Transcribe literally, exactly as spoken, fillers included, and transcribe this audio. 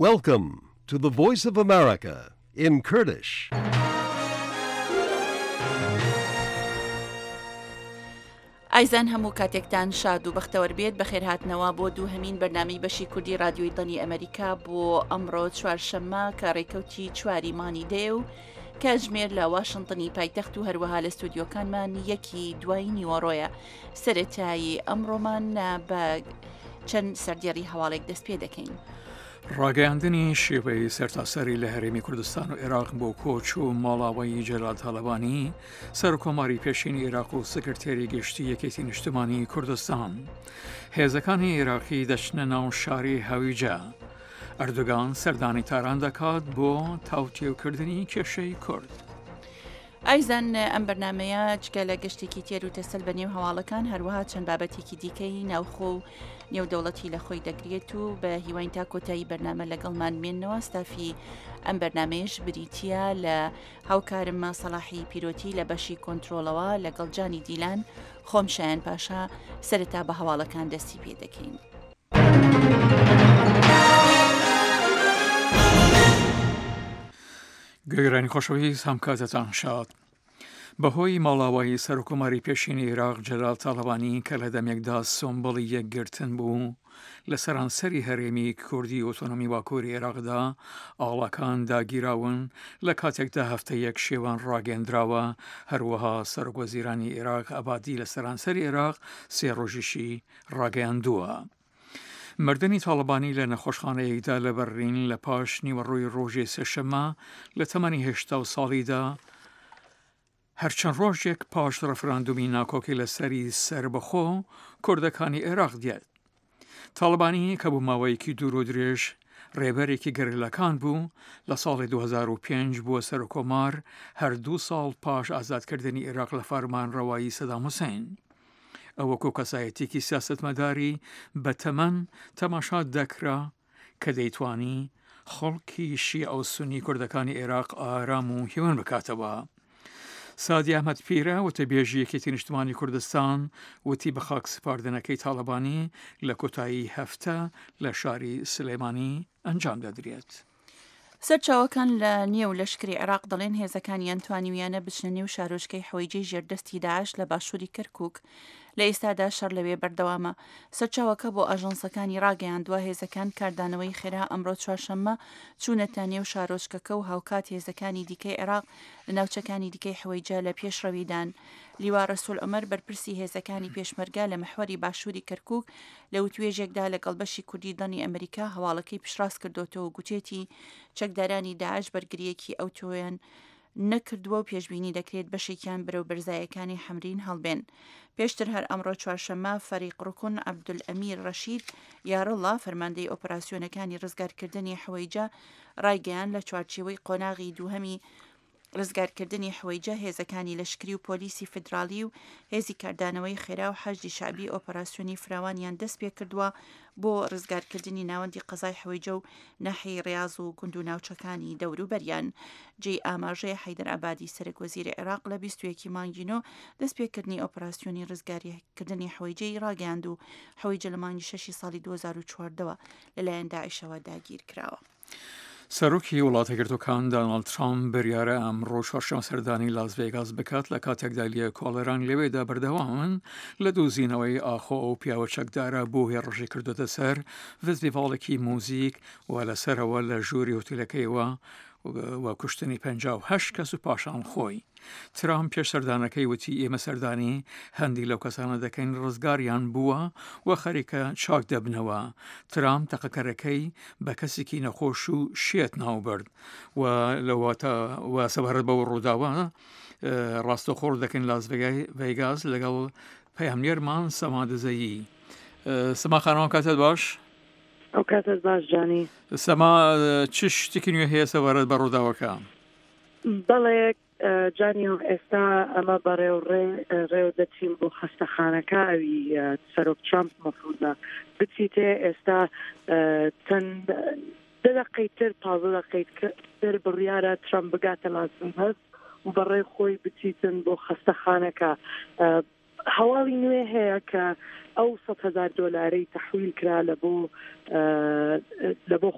Welcome to the Voice of America in Kurdish. ئایزان هەموو کاتێکتان شاد و بەختەوەر بێت. بەخێرهاتنەوە بۆ دووهەمین بەرنامەی بەشی کوردی رادیۆی دەنگی ئەمریکا بۆ ئەمڕۆ چوارشەممە کە ڕێکەوتی چواری مانگی دەیە و کاتژمێر لە واشنتنی پایتەخت و هەروەها لە ستودیۆکانمان یەکی دوای نیوەڕۆیە. سەرەتایی ئەمڕۆمان بە چەند سەردێڕی هەواڵێک دەست پێ دەکەین. ڕاگەیاندنی شێوەی سەرتاسەری لە هەرێمی کوردستان و عێراق بۆ کۆچ و ماڵاوەی جەلال تاڵەبانی، سەرکۆماری پێشینی عێراق و سکرتێری گشتی یەکێتی نیشتمانی کوردستان. هێزەکانی عێراقی دەچنە ناو شاری هەویجە. ئەردۆگان سەردانی تاران دەکات بۆ تاوتێوکردنی کێشەی کورد. ئایزان ئەم بەرنمەیە جگە لە گەشتێکی تێر و تەسەل بە نێو هەواڵەکان، هەروەها چەند بابەتێکی دیکەی ناوخۆ و نێودەوڵەتی لە خۆی دەگرێت و بە هیواین تا کۆتایی بەرنامە لەگەڵمان بمێنەوە. ستافی ئەم بەرنمەیەش بریتییە لە هاوکارم سەڵاحی پیرۆتی لە بەشی کۆنترۆڵەوە لەگەڵ جانی دیلان، خۆم شایان پاشا. سەرەتا بە هەواڵەکان دەستی پێ دەکەین. گوێگرانی خۆشەویست، هەم کاتتان شاد. بەهۆی ماڵاوایی سەرۆکۆماری پێشینی عێراق جەلال تاڵەبانی کە لە دەمێکدا سۆمبڵی یەکگرتن بوو لە سەرانسەری هەرێمی کوردی ئۆتۆنۆمی باکووری عێراقدا ئاڵاکان داگیراون لە کاتێکدا هەفتە یەک شێوان ڕاگەندراوە. هەروەها سەرۆک وەزیرانی عێراق عەبادی لە سەرانسەری عێراق سێ ڕۆژیشی ڕاگەیاندووە. مردنی تاڵەبانی لە نەخۆشخانەیەکدا لە بەرلین لە پاش نیوەڕۆی ڕۆژی سێشەممە لە تەمەنی هەشتا ساڵیدا، هەرچەند ڕۆژێک پاش ڕفراندومی ناکۆکی لەسەری سەربەخۆ کوردەکانی عێراق دێت. تاڵەبانی کە بۆ ماوەیەکی دوور و درێژ ڕێبەرێکی گەریلاکان بوو، لە ساڵی دوو هەزار و پێنج بووە سەرۆکۆمار، هەر دوو ساڵ پاش ئازادکردنی عێراق لە فەرمانڕەوایی سەدام حوسەین. ئەو وەکو کەسایەتیەکی سیاسەتمەداری بەتەمەن تەماشا دەکرا کە دەیتوانی خەڵکی شیعە و سونی کوردەکانی عێراق ئارام و هێمن بکاتەوە. سادی ئەحمەد پیرە وتەبێژی یەکێتی نیشتمانی کوردستان وتی بە خاک سپاردنەکەی تاڵەبانی لە کۆتایی هەفتە لە شاری سلێمانی ئەنجام دەدرێت. سەرچاوەکان لە نێو لەشکری عێراق دەڵێن هێزەکانیان توانیویانە بچنە نێو شارۆچکەی حەویجەی ژێردەستی داعش لە باشووری کەرکوک. لە ئێستادا شەڕ لەوێ بەردەوامە. سەرچاوەکە بۆ ئاژانسەکانی ڕاگەیاندووە هێزەکان کاردانەوەی خێرا ئەمڕۆ چوارشەممە چوونەتە نێو شارۆچکەکە و هاوکات هێزەکانی دیکەی عێراق لە ناوچەکانی دیکەی حەویجە لە پێشڕەویدان. لیوا رەسول عومەر بەرپرسی هێزەکانی پێشمەرگە لە محوەری باشووری کەرکوک لە وتوێژێکدا لەگەڵ بەشی کوردی دەنگی ئەمریکا هەواڵەکەی پشتڕاست کردوێتەوە و گوتێتی چەکدارانی داعش بەرگریەکی ئەوتۆیان نەکردووە و پێشبینی دەکرێت بەشێکیان بەرەو بەرزایەکانی حەمرین هەڵبێن. پێشتر هەر ئەمڕۆ چوارشەممە فەریق ڕکن عەبدولئەمیر ڕەشید یارڵا فەرماندەی ئۆپەراسیۆنەکانی ڕزگارکردنی حەویجە ڕایگەیان لە چوارچێوەی قۆناغی دووهەمی ڕزگارکردنی حەویجە هێزەکانی لەشکری و پۆلیسی فیدراڵی و هێزی کاردانەوەی خێرا و حەشدی شەعبی ئۆپەراسیۆنی فراوانیان دەست پێکردووە بۆ ڕزگارکردنی ناوەندی قەزای حەویجە و ناحیەی ڕیاز و گوند و ناوچەکانی دەوروبەریان. جێی ئاماژەیە حەیدەر عەبادی سەرەک وەزیری عێراق لە بیست و یەک ی مانگی نۆ دەستپێکردنی ئۆپەراسیۆنی ڕزگارکردنی حەویجەی ڕاگەیاند و حەویجە لە مانگی شەشی ساڵی دوو هەزار و چواردە وە لەلایەن داعشەوە داگیرکراوە. سەرۆکی وڵاتە یەکگرتووەکان داناڵد ترامپ بڕیارە ئەمڕۆ چوارشەممە سەردانی لاس ڤێگاس بکات لە کاتێکدا لێکۆڵەران لەوێدا بەردەوامن لە دۆزینەوەی ئاخۆ ئەو پیاوە چەکدارە بۆ هێڕشی کردوتە سەر فستیڤاڵێکی موزیک و لەسەرەوە لە ژووری هۆتێلەکەیەوە و کوشتنی پەنجا و هەشت کەس و پاشان خۆی. ترامپ پێش سەردانەکەی وتی ئێمە سەردانی هەندی لەو کەسانە دەکەین ڕزگاریان بووە و خەریکە چاک دەبنەوە. ترامپ تەقەکەرەکەی بە کەسێکی نەخۆش و شێت ناوبرد و لەواتە و سەبارەت بەو ڕووداوە ڕاستەوخۆ دەکەین لاس ڤێگاس لەگەڵ پەیامنێرمان سەما دزەیی. سەما خانەوە کاتت باش. ئەو کاتت باش جانی. سەما چ شتێکی نوێ هەیە سەبارەت بە ڕووداوەکە؟ بەڵێ جانی، ئێستا ئەمە بەڕێو ڕێو دەچین بۆ خەستەخانەکە ئەوی سەرۆک ترامپ مەفروزە بچیتێ. ئێستا چەند دە دەقەی تر پازدە دەقەی تر بڕیارە ترامپ بگاتە لاس ڤێگاس و بەڕێ خۆی بچیتن بۆ خەستەخانەکە. هەواڵی نوێ هەیە کە ئەو سەد هەزار دۆلارەی تەحویل کرا لە بۆ لە بۆ